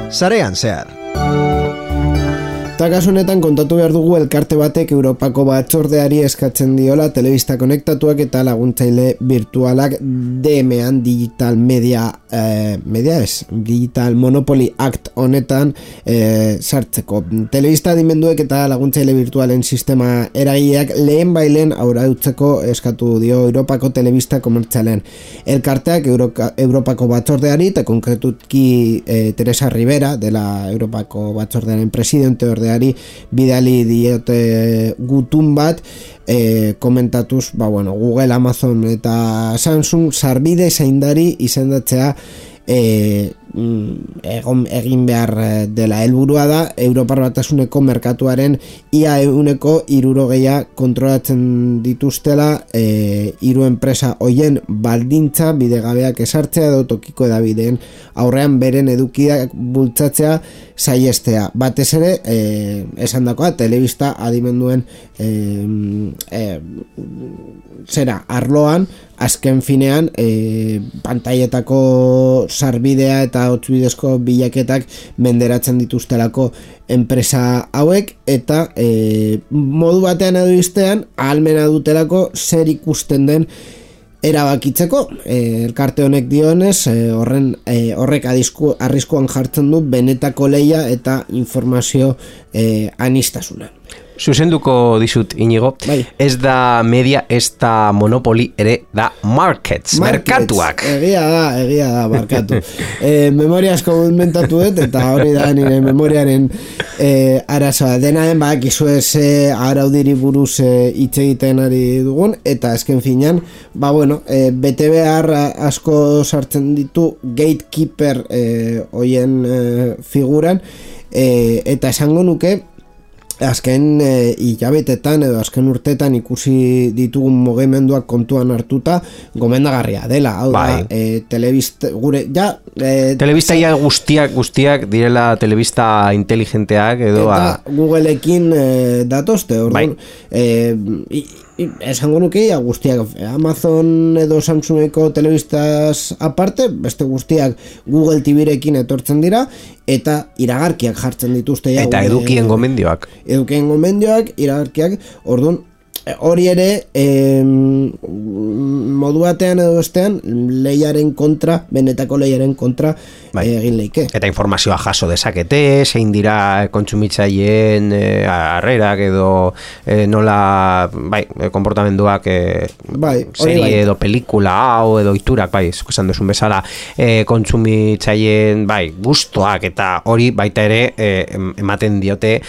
Sarean zehar. Eta kasu honetan kontatu behar dugu elkarte batek Europako batzordeari eskatzen diola telebista konektatuak eta laguntzaile virtualak DMan Digital Digital Monopoly Act honetan sartzeko. Telebista adimenduek eta laguntzaile virtualen sistema eragileak lehen bailen aurautzeko eskatu dio Europako telebista komertzialen. Elkarteak Europako batzordeari eta konkretutki Teresa Rivera dela Europako batzordearen presidente bidali diote gutun bat komentatuz, Google, Amazon eta Samsung sarbide zaindari izendatzea egin behar dela. Helburua da Europar Batasuneko merkatuaren ia 60% kontrolatzen dituztela hiru enpresa hoien baldintza bidegabeak esartzea edo tokiko edabideen aurrean beren edukiak bultzatzea saihestea. Batez ere, esandakoa, telebista adimenduen arloan, azken finean pantailetako sarbidea eta hotzbidezko bilaketak menderatzen dituztelako enpresa hauek eta modu batean edo bestean ahalmena dutelako zer ikusten den erabakitzeko. Elkarte honek dionez, horrek arriskuan jartzen du benetako lehia eta informazio anistasuna. Zuzenduko dizut, Inigo, ez da media, ez da monopoli, ere da markets, merkatuak. Egia da, markatu. Memoria asko mentatu dut, eta hori da nire memoriaren arazoa. Dena den, izu ez araudiri buruz hitz egiten ari dugun, eta azken finean, bete behar asko sartzen ditu gatekeeper hoien figuran, eta esango nuke, azken hilabetetan edo azken urtetan ikusi ditugun mugimenduak kontuan hartuta gomendagarria dela. Hau da, telebista guztiak direla telebista inteligenteak edo eta Googleekin datozte, orduan esango nuke guztiak Amazon edo Samsungeko telebistaz aparte, beste guztiak Google TVrekin etortzen dira eta iragarkiak jartzen dituzte eta edukien gomendioak iragarkiak, orduan hori ere modu batean edo bestean benetako lehiaren kontra egin leike. Eta informazioa jaso dezakete, zein dira kontsumitzaileen harrerak edo nola konportamenduak serie edo pelikula hau edo iturak, esan duzun bezala kontsumitzaileen gustoak eta hori baita ere ematen diote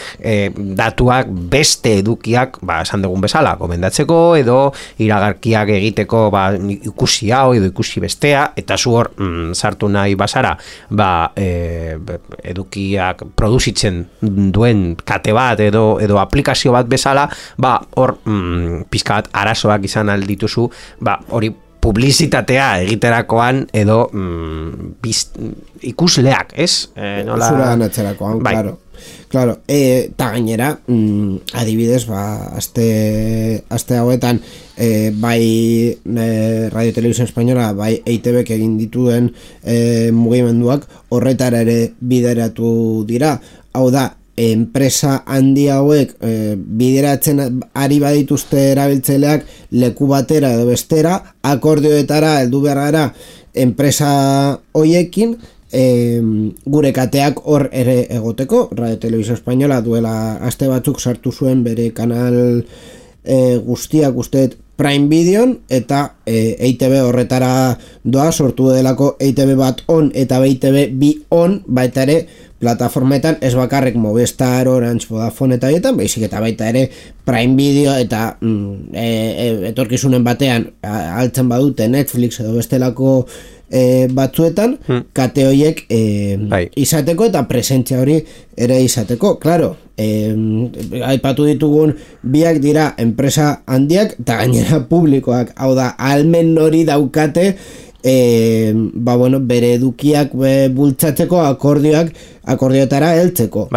datuak beste edukiak esan dugun bezala komendatzeko edo iragarkiak egiteko ikusi hau edo ikusi bestea eta zu hor sartu nahi bazara edukiak produzitzen duen kate bat edo aplikazio bat bezala hor pizka bat arazoak izan aldituzu hori publizitatea egiterakoan edo ikusleak, ez? Zura natzerakoan, claro. Eta gainera, adibidez, aste hauetan, Radio Televisión Española, EITBek egin dituen mugimenduak horretara ere bideratu dira. Hau da, enpresa handi hauek bideratzen ari badituzte erabiltzaileak leku batera edo bestera, akordioetara heldu behar gara enpresa hoiekin, gure kateak hor ere egoteko. Radio Televisión Española duela aste batzuk sartu zuen bere kanal guztiak usteet Prime Videon eta EITB horretara doa, sortu delako EITB bat on eta EITB bi on, baita ere plataformetan, ez bakarrik Movistar, Orange, Vodafone eta hietan, baizik eta baita ere Prime Video eta etorkizunen batean altzen badute Netflix edo bestelako batzuetan, kate horiek izateko eta presentzia hori ere izateko. Claro, aipatu ditugun biak dira enpresa handiak eta gainera publikoak, hau da, ahalmen hori daukate bere edukiak bultzatzeko akordioetara heltzeko.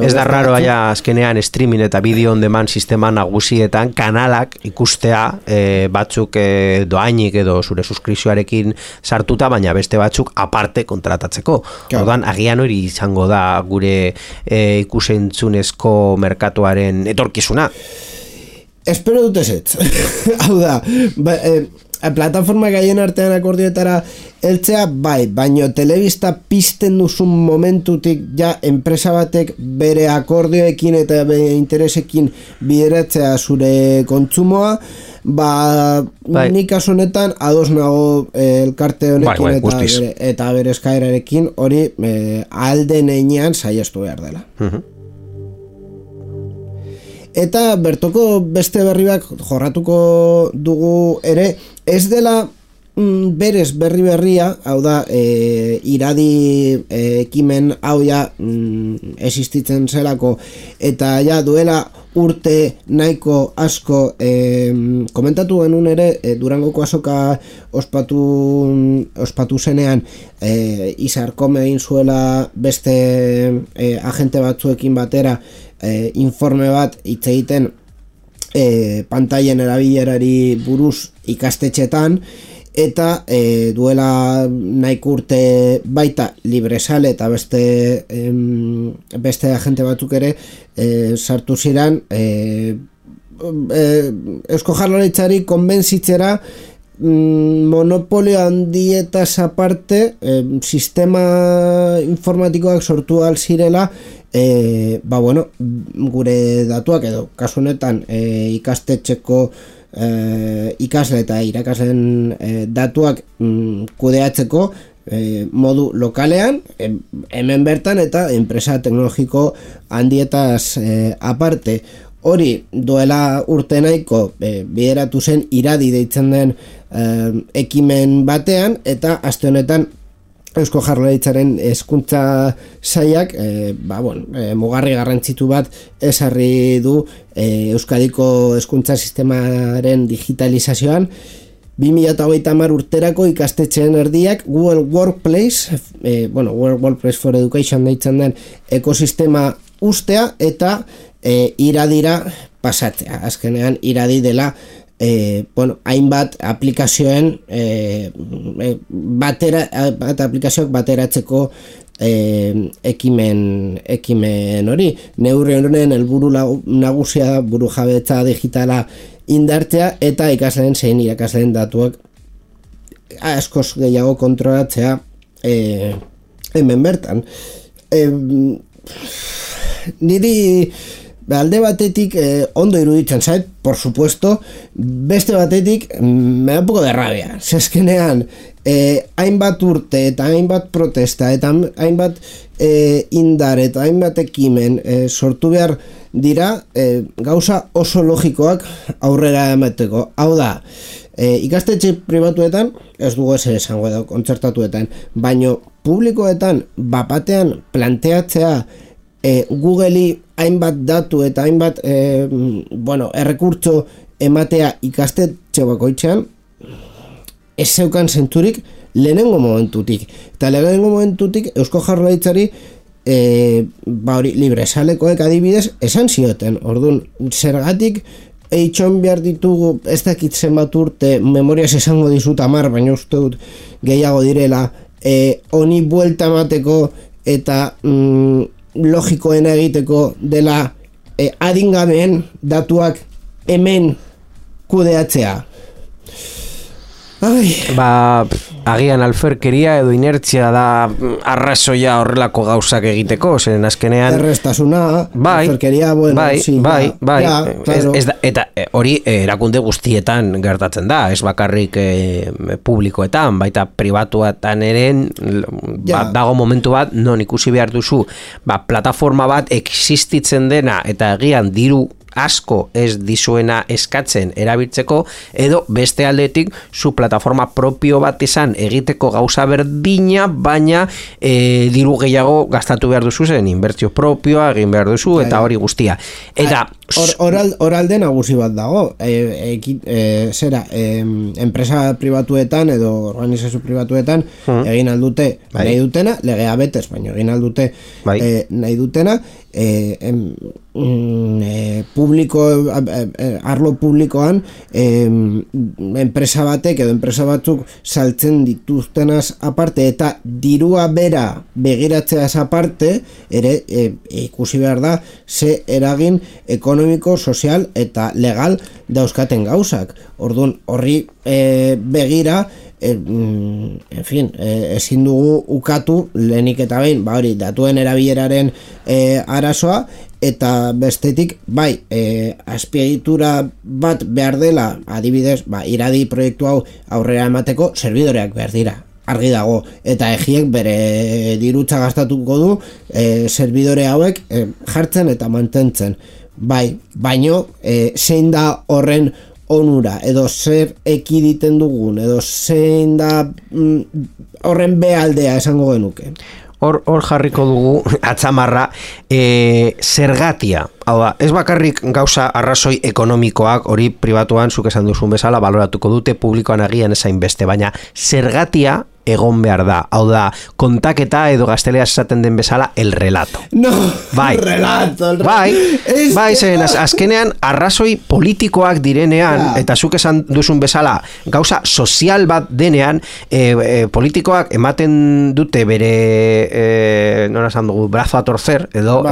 Ez da raro azkenean streaming eta video on demand sistema nagusietan kanalak ikustea batzuk doainik edo zure suskripzioarekin sartuta, baina beste batzuk aparte kontratatzeko. Orduan, agian hori izango da gure ikusentzunezko merkatuaren etorkizuna. Espero dut ezetz. Hau da, plataforma gaien artean akordioetara heltzea, baino telebista pizten duzun momentutik ja enpresa batek bere akordioekin eta bere interesekin bideratzea zure kontsumoa, nik kasu honetan ados nago elkarte honekin eta bere eskaerarekin hori alden einean saiestu behar dela. Eta bertoko beste berriak jorratuko dugu ere, ez dela berez berria, hau da, iradi ekimen hau ja existitzen zelako, eta ja duela urte nahiko asko komentatu genuen ere, Durangoko azoka ospatu zenean Izarkome egin zuela beste agente batzuekin batera informe bat hitz egiten pantailen erabilerari buruz ikastetxetan, eta duela nahiko urte baita Libresale eta beste agente batzuk ere sartu ziren Eusko Jaurlaritzari konbentzitzera monopolio handietaz aparte sistema informatikoak sortu ahal zirela gure datuak edo kasu honetan ikastetxeko ikasle eta irakasleen datuak kudeatzeko modu lokalean, hemen bertan eta enpresa teknologiko handietaz aparte. Hori duela urte nahiko bideratu zen iradi deitzen den ekimen batean, eta aste honetan Eusko Jaurlaritzaren hezkuntza sailak mugarri garrantzitu bat ezarri du Euskadiko hezkuntza sistemaren digitalizazioan. 2030 urterako ikastetxeen erdiak Google Workplace, Workplace for Education deitzen den ekosistema ustea eta iradira pasatzea. Azkenean iradi dela hainbat aplikazioen aplikazioak bateratzeko ekimen hori. Neurri honen helburu nagusia burujabetza digitala indartzea eta ikasleen zein irakasleen datuak askoz gehiago kontrolatzea hemen bertan. Niri alde batetik ondo iruditzen zait, por supuesto, beste batetik me da un poco de rabia. Zezkenean, hainbat urte eta hainbat protesta eta hainbat indar eta hainbat ekimen sortu behar dira gauza oso logikoak aurrera emateko. Hau da, ikastetxe pribatuetan, ez dugu ezer esango edo kontzertatuetan, baino publikoetan bapatean planteatzea Google'i hainbat datu eta hainbat errekurtso ematea ikastetxe bakoitzean ez zeukan zenturik lehenengo momentutik. Eta lehenengo momentutik Eusko Jaurlaritzari Libresalekoek adibidez esan zioten. Orduan, zergatik eitxon behar ditugu, ez dakit zenbat urte, memoriaz esango dizut 10, baina uste dut gehiago direla, honi buelta emateko eta logikoena egiteko dela adingabeen datuak hemen kudeatzea. agian alferkeria edo inertzia da arrazoia horrelako gauzak egiteko, zeren azkenean errestasuna, alferkeria, bueno, bai, sí, bai, ja, claro. Eta hori erakunde guztietan gertatzen da, ez bakarrik publikoetan, baita pribatuetan eren dago momentu bat, non ikusi behar duzu, plataforma bat existitzen dena eta egian diru asko ez dizuena eskatzen erabiltzeko, edo beste aldetik zu plataforma propio bat izan egiteko gauza berdina, baina diru gehiago gastatu behar duzu zen, inbertsio propioa egin behar duzu, eta hori guztia. Eta oralde nagusi bat dago, enpresa pribatuetan edo organizazio pribatuetan egin aldute nahi dutena, legea betez, baina egin aldute nahi dutena, arlo publikoan enpresa batek edo enpresa batzuk saltzen dituztenaz aparte eta dirua bera begiratzeaz aparte ere ikusi behar da ze eragin ekonomiko, sozial eta legal dauzkaten gauzak. Orduan horri begira en fin, ezin dugu ukatu lehenik eta behin, hori datuen erabileraren arazoa, eta bestetik azpiegitura bat behar dela, adibidez, iradi proiektu hau aurrera emateko serbidoreak behar dira, argi dago, eta egiek bere dirutza gastatuko du servidore hauek jartzen eta mantentzen, baino zein da horren onura, edo zer ekiditen dugun, edo zein da horren behaldea esango genuke. Hor jarriko dugu atzamarra zergatia. Hau da, ez bakarrik gauza arrazoi ekonomikoak hori pribatuan zuk esan duzun bezala baloratuko dute, publikoan agian ezain beste, baina zergatia egon behar da. Hau da, kontaketa edo gazteleaz esaten den bezala el relato. No, bai. El relato. Bai, zen azkenean arrazoi politikoak direnean, eta zuk esan duzun bezala gauza sozial bat denean, politikoak ematen dute bere nora esan dugu, brazo a torcer, edo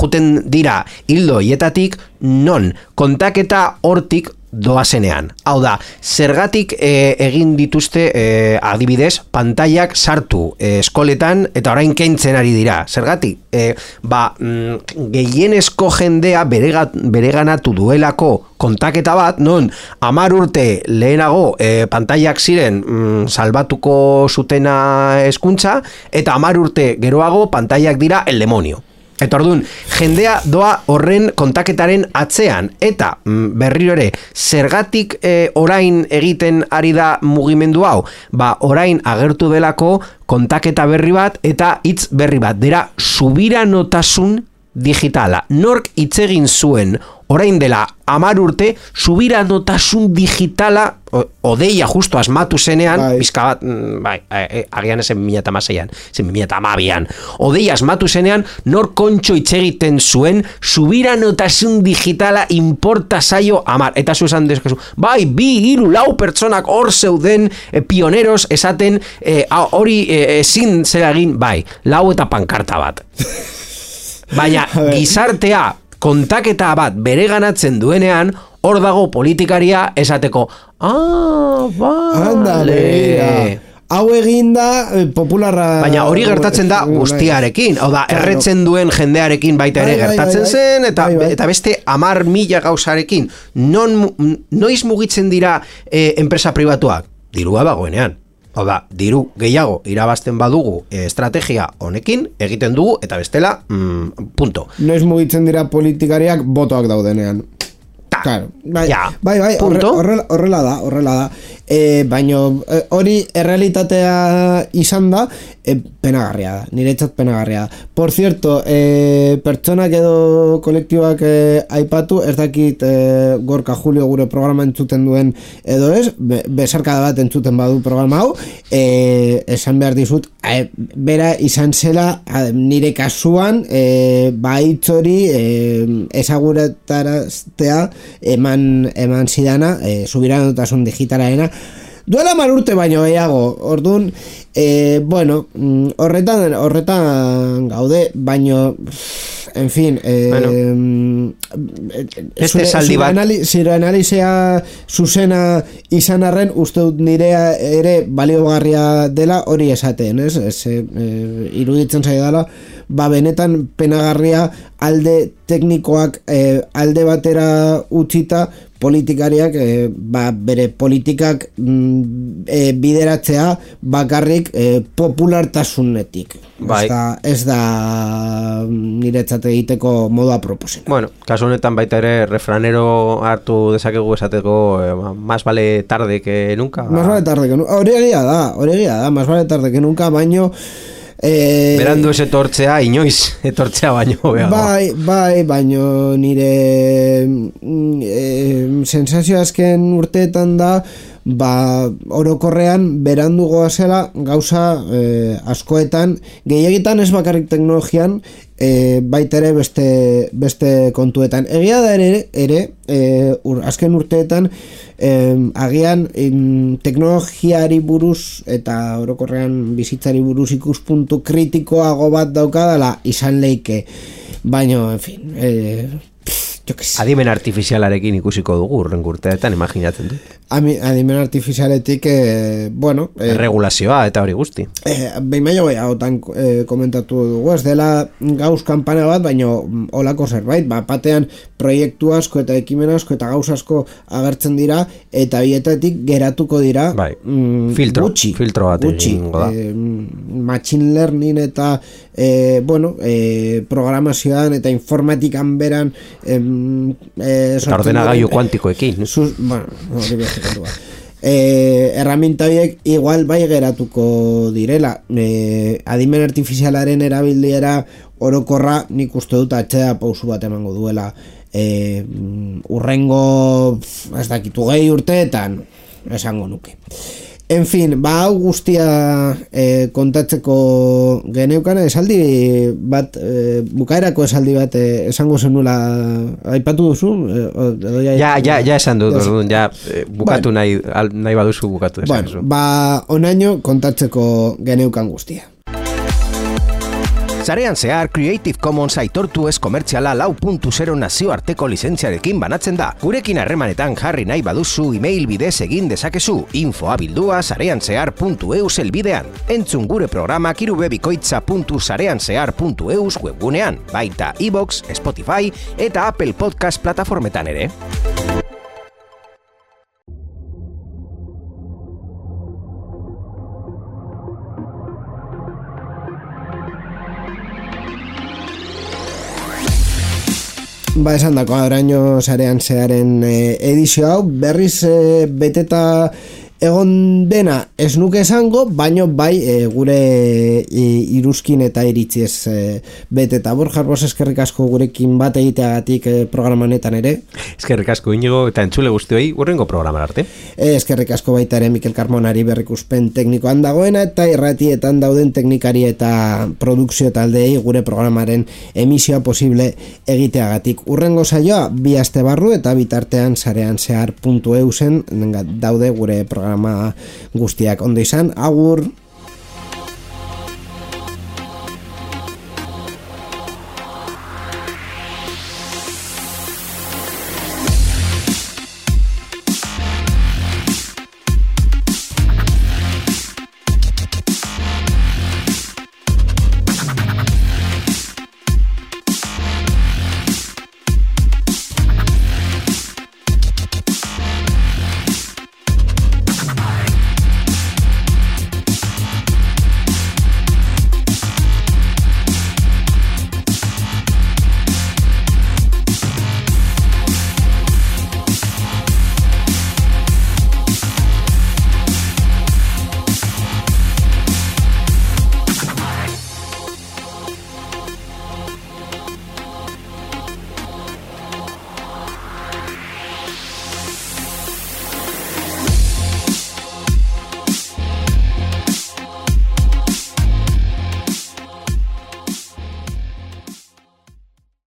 juten dira hildo hietatik, non kontaketa hortik doazenean. Hau da, zergatik egin dituzte adibidez, pantailak sartu eskoletan eta orain kentzen ari dira. Zergatik? Gehienezko jendea bereganatu duelako kontaketa bat, non 10 urte lehenago pantailak ziren salbatuko zutena hezkuntza, eta 10 urte geroago pantailak dira el demonio. Eta orduan, jendea doa horren kontaketaren atzean, eta berriro ere, zergatik orain egiten ari da mugimendu hau? Orain agertu delako kontaketa berri bat eta hitz berri bat, dira subiranotasun digitala. Nork hitz egin zuen orain dela 10 urte, subiranotasun digitala odeia justo asmatu zenean, bizka bat, agian ezen 2016an, zen 2012an, odeia asmatu zenean, nor kontxo hitz egiten zuen, subiranotasun digitala importa zaio 10, eta zu esan dezkezu, 2, 3, 4 pertsonak hor zeuden pioneros esaten, hori ezin zera egin, 4 eta pankarta bat. Baina gizartea kontaketa bat bereganatzen duenean, hor dago politikaria esateko, vale. Hau eginda popularra... Baina hori gertatzen da guztiarekin, hau da, erretzen duen jendearekin baita ere gertatzen zen, eta beste 10.000 gauzarekin. Noiz mugitzen dira enpresa pribatuak? Dirua bagoenean. Hau da, diru gehiago irabazten badugu estrategia honekin, egiten dugu, eta bestela, punto. Noiz mugitzen dira politikariak botoak daudenean. Claro, horrela da. Baina hori errealitatea izan da, penagarria da, niretzat penagarria da. Por cierto, pertsonak edo kolektiboak aipatu, ez dakit Gorka Julio gure programa entzuten duen edo ez, besarkada bat entzuten badu programa hau, esan behar dizut, bera izan zela nire kasuan, hitz hori ezaguretaraztea eman zidana, subiranotasun digitalaena, duela 10 urte baino gehiago. Orduan, bueno, horretan gaude, baino en fin, Beste esaldi bat. zure analizia zuzena izan arren, uste dut nirea ere baliogarria dela hori esaten, ez? Iruditzen zaidala, benetan penagarria alde teknikoak alde batera utzita, politikariak bere politikak bideratzea bakarrik populartasunetik. Bai. Ez da niretzat egiteko modua proposena. Bueno, kasu honetan baita ere refranero hartu dezakegu esateko más vale tarde que nunca. Más vale tarde que nunca. Hori egia da, más vale tarde que nunca, baino berandu ez etortzea, inoiz etortzea baino beago. Bai, baino nire sensazio azken urteetan da, orokorrean berandu goazela gauza askoetan, gehiegitan ez bakarrik teknologian, baita ere beste kontuetan. Egia da ere azken urteetan agian teknologiari buruz eta orokorrean bizitzari buruz ikuspuntu kritikoago bat daukadala izan leike, baino, en fin, adimen artifizialarekin ikusiko dugu urrengo urteetan, imaginatzen du. Adimen artifizialetik, regulazioa eta hori guzti. Behin baino hautan komentatu dugu, ez dela gauz kanpana bat, baino olako zerbait, batean proiektu asko eta ekimen asko eta gauz asko agertzen dira, eta bietatik geratuko dira filtro bat egingo da. Machine learning eta programazioan eta informatikan beran eta ordenagailu kuantikoekin. Erraminta horiek igual bai geratuko direla. Adimen artifizialaren erabilera orokorra nik uste dut atxea pausu bat emango duela. Urrengo ez dakitu gehi urteetan esango nuke. En fin, hau guztia kontatzeko geneukan esaldi bat, bukaerako esaldi bat esango zenula aipatu duzu? Ja esan dut, bukatu nahi baduzu bukatu. Bueno, onaino kontatzeko geneukan guztia. Sarean zehar Creative Commons aitortu ez komertziala 4.0 nazioarteko lizentziarekin banatzen da. Gurekin harremanetan jarri nahi baduzu email bidez egin dezakezu info@sareanzehar.eus helbidean. Entzun gure programak irubebikoitza.sareanzehar.eus webgunean, baita iVoox, Spotify eta Apple Podcast plataformetan ere. Esan dako, oraino Sarean Zearen edizio hau, berriz beteta egon dena ez nuke esango, baino bai gure iruzkin eta iritziez beteta. Borja Arbos, eskerrik asko gurekin bat egiteagatik programanetan ere. Eskerrik asko Inigo eta entzule guztioi urrengo programan arte. Eskerrik asko baita ere Mikel Carmonari berrikuspen teknikoan dagoena eta irratietan dauden teknikari eta produkzio taldei gure programaren emisioa posible egiteagatik. Urrengo saioa 2 aste barru eta bitartean sareanzehar.eusen daude gure programa guztiak. Ondo izan, agur!